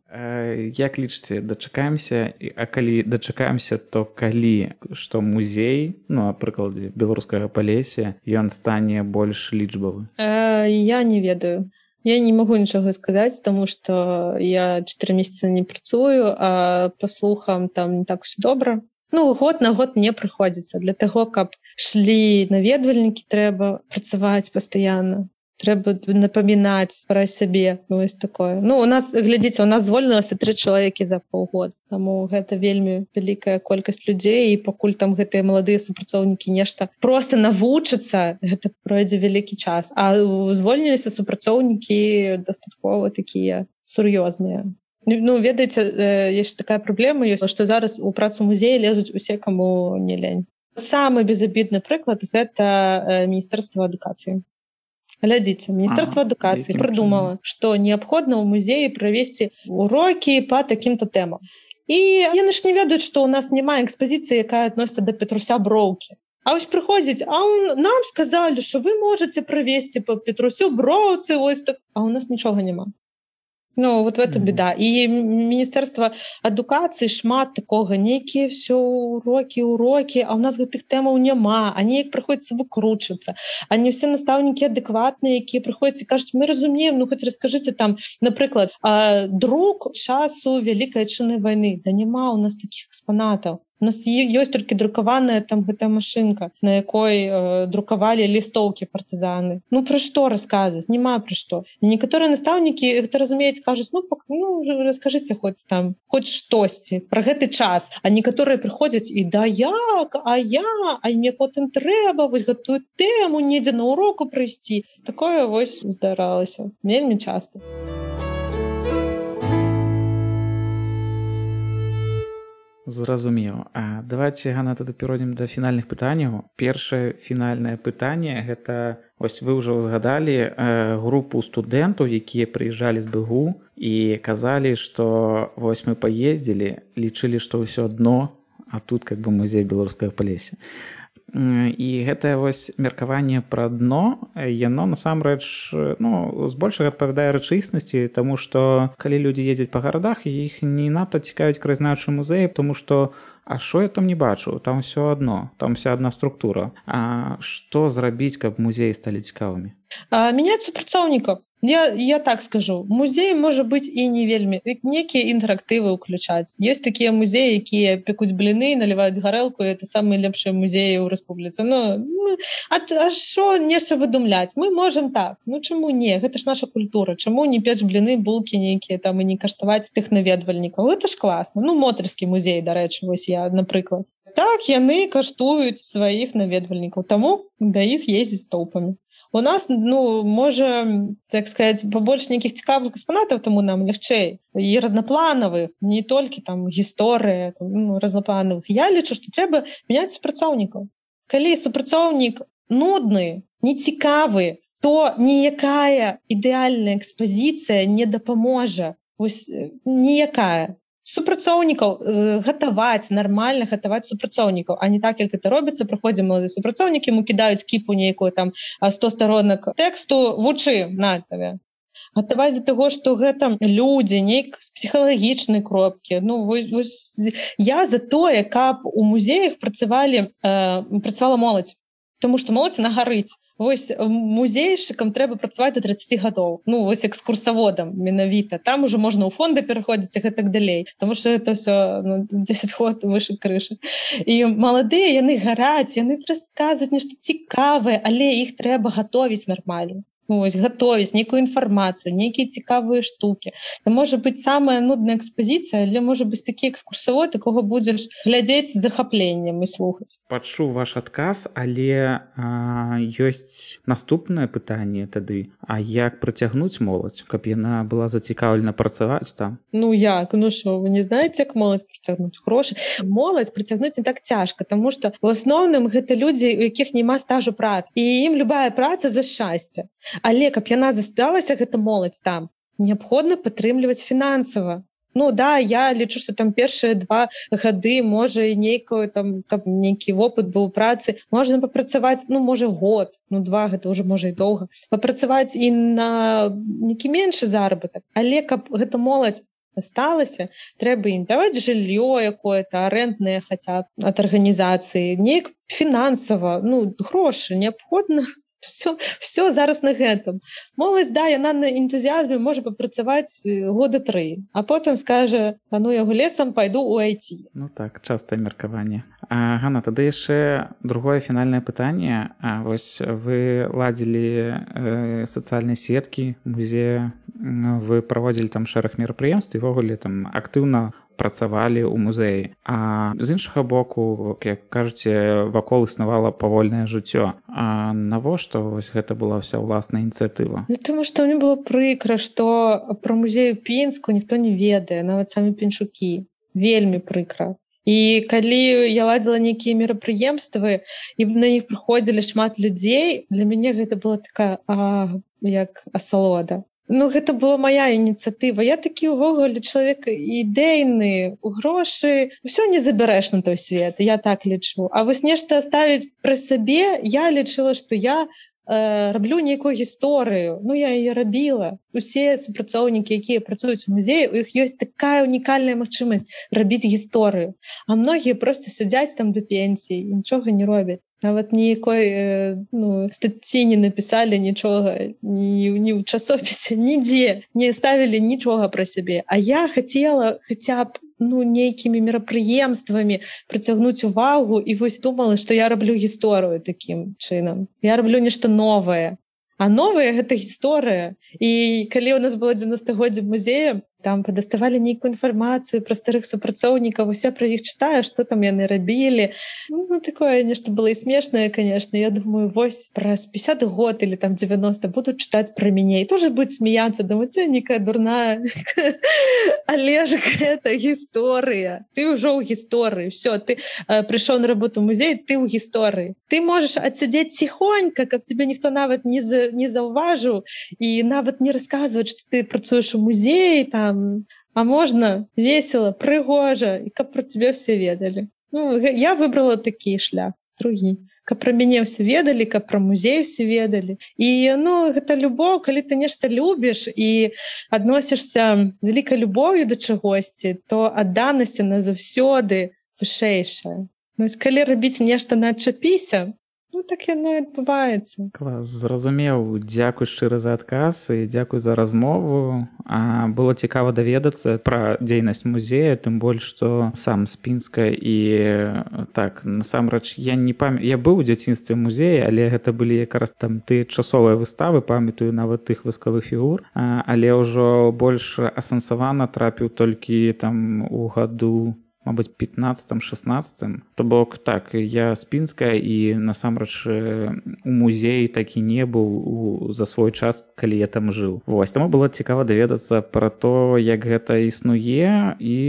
Як лічыце, дачакаемся, а калі дачакаемся, то калі, што музей, ну, а прыкладзе беларускага Палесся, ён стане больш лічбавы? Я не ведаю. Я не магу нічога сказаць, таму што я чатыры месяцы не працую, а па слухам там не так усё добра. Ну, год на год не прыходзіцца. Для таго, каб шлі наведвальнікі, трэба працаваць пастаянна. Трэба напамінаць пра сябе, ну, вось такое. Ну, у нас, глядзіце, у нас звольнілася тры чалавекі за паўгода. Таму гэта вельмі вялікая колькасць людзей, і пакуль там гэтыя маладыя супрацоўнікі нешта проста навучацца, гэта пройдзе вялікі час. А звольніліся супрацоўнікі дастаткова такія сур'ёзныя. Ну, ведаеце, ёсць такая праблема, ёсць, што зараз у працу музея лезуць усе, каму не лень. Самы безабідны прыклад — гэта Міністэрства адукацыі. Глядзіце, Міністэрства адукацыі прыдумала, што неабходна ў музеі правесці урокі па такім-то тэмам. І яны ж не ведаюць, што ў нас няма экспазіцыі, якая адносіцца да Петрусся Броўкі. А вось прыходзіць, а нам сказалі, што вы можаце правесці па Петрусю Броўцы, ось так, а ў нас нічога няма. Ну, вот в этом беда. І Міністэрства адукацыі шмат такога, нейкія ўсё урокі, урокі, а ў нас гэтых тэмаў няма, а неяк прыходзіцца выкручвацца. А не ўсе настаўнікі адэкватныя, якія прыходзяць і кажуць, мы разумеем, ну, хоць раскажыце там, напрыклад, друк часу Вялікай Адчыннай вайны. Да няма ў нас такіх экспанатаў. У нас ёсць толькі друкаваная там гэтая машынка, на якой э, друкавалі лістоўкі партызаны. Ну, пра што расказваць? Няма пра што. І некаторыя настаўнікі гэта разумеюць, кажуць, ну, пак, ну, раскажыце хоць там, хоць штосьці пра гэты час. А некаторыя прыходзяць і да як, а я, а мне потым трэба вось гэтую тэму недзе на уроку прыйсці. Такое вось здаралася вельмі часта. Зразумеў. А давайте, Ганна, тады перайдзем да фінальных пытанняў. Першае фінальнае пытанне — гэта, вось вы ўжо згадалі э, групу студэнтаў, якія прыязджалі з БГУ і казалі, што вось мы паездзілі, лічылі, што ўсё адно, а тут как бы музей беларускага Палесся. І гэтае вось меркаванне пра дно, яно насамрэч, ну, збольшага адпавядае рэчаіснасці, таму што калі людзі ездзяць па гарадах, іх не надта цікавіць краязнаўчы музей, тому што а што я там не бачу? Там ўсё адно, там вся адна структура. А што зрабіць, каб музеі сталі цікавымі? А, мяняць супрацоўнікаў. Я, я так скажу, музей можа быць і не вельмі, некія інтэрактывы ўключаць. Ёсць такія музеі, якія пекуць бліны, наліваюць гарэлку, і это самыя лепшыя музеі ў рэспубліцы. Ну, а што нешта выдумляць? Мы можам так. Ну, чаму не? Гэта ж наша культура. Чаму не печ бліны, булкі нейкія там і не каштаваць тых наведвальнікаў? Гэта ж класна. Ну, Мотарскі музей, дарэчы, вось я, напрыклад. Так, яны каштуюць сваіх наведвальнікаў, таму да іх ездзіць толпамі. У нас, ну, можа, так сказать, побольше нейкіх цікавых экспанатаў, таму нам лягчэй. І разнапланавых, не толькі там гісторыя, там, ну, разнапланавых. Я лічу, што трэба мяняць супрацоўнікаў. Калі супрацоўнік нудны, нецікавы, то ніякая ідэальная экспазіцыя не дапаможа. Вось ніякая. Супрацоўнікаў э, гатаваць, нармальна гатаваць супрацоўнікаў, а не так, як гэта робіцца, прыходзі маладыя супрацоўнікі, му кідаюць кіпу нейкую там сто сторонак тэксту, вучы на табе. Гатаваць за таго, што гэта людзі, нейк з псіхалагічнай кропкі. Ну, вось, вось, я за тое, каб у музеях працавалі, э, працавала моладзь. Таму што моладзь на гарыць. Вось музейшыкам трэба працаваць да трыццаці гадоў. Ну, вось экскурсаводам менавіта. Там ужо можна ў фонды пераходзіць і гэтак далей. Таму што гэта ўсё, ну, дзесяць год выше крышы. І маладыя, яны гараць, яны расказваюць нешта цікавае, але іх трэба гатовіць нармальна. Ось, гатовіць нейкую інфармацыю, нейкія цікавыя штукі. Це можа быць самая нудная экспазіцыя, але можа быць такі экскурсавод, якога будзеш глядзець з захапленнем і слухаць. Пачуў ваш адказ, але а, ёсць наступнае пытанне тады. А як прыцягнуць моладзь, каб яна была зацікаўлена працаваць там? Ну як? Ну што, вы не знаеце, як моладзь прыцягнуць? Грошы. Моладзь прыцягнуць не так цяжка, таму што ў асноўным гэта людзі, у якіх няма стажу працы. І ім любая праца за шчасце. Але каб яна засталася, гэта моладзь там, неабходна падтрымліваць фінансава. Ну да, я лічу, што там першыя два гады, можа, і нейкую там, каб нейкі вопыт быў у працы, можна папрацаваць, ну, можа, год, ну, два, гэта ўжо, можа, і доўга. Папрацаваць і на нейкі меншы заробатак. Але каб гэта моладзь асталася, трэба ім даваць жыллё якое-то, арэнднае хаця б ад арганізацыі, неяк фінансава, ну, грошы неабходна. Все, все зараз на гэтым. Моладзь, да, яна на энтузіазме можа папрацаваць года тры, а потым скажа, а ну яго лесам пайду ў ай ти. Ну так, частае меркаванне. А, Ганна, тады яшчэ другое фінальнае пытанне. А, вось вы ладзілі э, сацыяльныя сеткі музея, вы праводзілі там шэраг мерапрыемств і ввогуле там актыўна працавалі ў музеі. А з іншага боку, як кажаце, вакол існавала павольнае жыццё. А навошта вось гэта была ўся ўласная ініцыятыва? Ну, таму што мне было прыкра, што пра музей у Пінску ніхто не ведае, нават самі піншукі. Вельмі прыкра. І калі я ладзіла нейкія мерапрыемствы, і на іх прыходзілі шмат людзей, для мяне гэта была такая, а, як асалода. Ну, гэта была моя ініцыятыва. Я такі ўвогуле чалавек ідэйны, у грошы ўсё не забярэш на той свет, я так лічу. А вось нешта ставіць пры сабе, я лічыла, што я э, раблю нейкую гісторыю. Ну, я яе рабіла. Усе супрацоўнікі, якія працуюць у музеі, у іх ёсць такая унікальная магчымасць рабіць гісторыю. А многія проста сядзяць там да пенсіі і нічога не робяць. Нават ніякой э, ну, статці не напісалі нічога, ні, ні ў часопісе, нідзе не ставілі нічога пра сябе. А я хацела хаця б ну, нейкімі мерапрыемствамі прыцягнуць увагу і вось думала, што я раблю гісторыю такім чынам. Я раблю нешта новае. А новая гэта гісторыя. І калі ў нас было дзевяностагоддзе музея, там прадаставалі нейкую інфармацыю пра старых супрацоўнікаў, усе пра іх чытаю, што там яны рабілі. Ну, такое нешта было і смешнае, конечно. Я думаю, вось праз пятьдесят год или там девяносто будуць чытаць пра мяне. І тоже будуць смяяцца, думаць, а некая дурная. Але ж гэта гісторыя. Ты ўжо ў гісторыі. Всё, ты э, прыйшоў на работу ў музей, ты ў гісторыі. Ты можаш адсядзець ціхонька, каб тебе ніхто нават не, за, не заўважыў і нават не расказваць, што ты працуеш у музеі, там, а можна весело, прыгожа, і каб пра цябе ўсе ведалі. Ну, я выбрала такі шлях, другі. Каб пра мяне ўсе ведалі, каб пра музей ўсе ведалі. І ну, гэта любоў, калі ты нешта любіш і адносішся з вялікай любоўю да чагосьці, то адданасць яна заўсёды вышэйшая. Ну, калі рабіць нешта на адчапіся, ну, так яно і адбываецца. Клас, зразумеў. Дзякуй шчыра за адказ і дзякуй за размову. А, было цікава даведацца пра дзейнасць музея, тым больш, што сам з Пінска і так, насамрэч, я не памятаю, я быў у дзяцінстве музея, але гэта былі якраз там тыя часовыя выставы, памятаю нават тых васкавых фігур, а, але ўжо больш асэнсавана трапіў толькі там у году мабыць, пятнадцатым шестнадцатым. То бок, так, я з Пінска і насамрэч у музеі такі не быў у, за свой час, калі я там жыў. Вось, таму было цікава даведацца пра то, як гэта існуе, і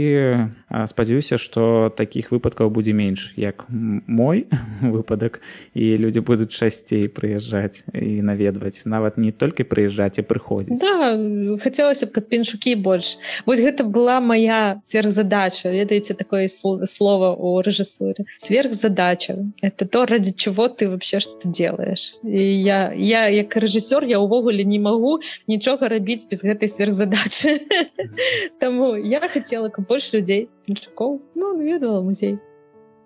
спадзяюся, што такіх выпадкаў будзе менш, як мой выпадак, і людзі будуць часцей прыязджаць і наведваць, нават не толькі прыязджаць, а прыходзіць. Да, хацелася б, каб піншукі больш. Вось гэта была моя сверхзадача, ведаеце, такое слово у режиссуре. Сверхзадача. Это то, ради чего ты вообще что-то делаешь. И я, я як режиссер, я увогуле не могу нічога рабіць без гэтай сверхзадачы. Таму я хотела, каб больш людзей, піншукоў, ну, наведвала музей.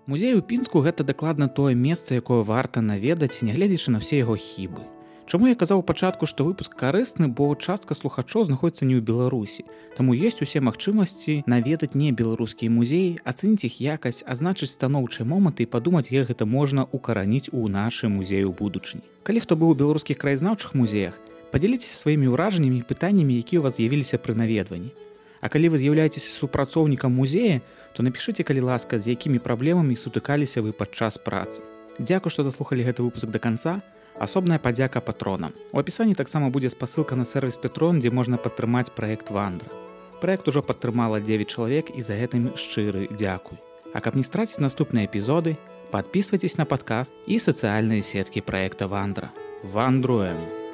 Музей у Пінску — гэта дакладна тое месца, якое варта наведаць, нягледзячы на ўсе яго хібы. Чаму я казаў у пачатку, што выпуск карысны, бо частка слухачоў знаходзіцца не ў Беларусі. Таму ёсць усе магчымасці наведаць не беларускія музеі, ацэніць іх якасць, азначыць станоўчыя моманты і падумаць, як гэта можна укараніць у нашы музеі ў будучыні. Калі хто быў у беларускіх краязнаўчых музеях, Падзяліцеся сваімі ўражаннямі і пытаннямі, якія ў вас з'явіліся пры наведванні. А калі вы з'яўляецеся супрацоўнікам музея, то напішыце, калі ласка, з якімі праблемамі сутыкаліся вы падчас працы. Дзякуй, што даслухалі гэты выпуск да канца. Асобная падзяка патронам. У апісанні таксама будзе спасылка на сервіс Петрон, дзе можна падтрымаць праект Вандра. Праект ужо падтрымала дзевяць чалавек і за гэтым шчыры дзякуй. А каб не страціць наступныя эпізоды, падпісвайцеся на падкаст і сацыяльныя сеткі праекта Вандра. Вандруем!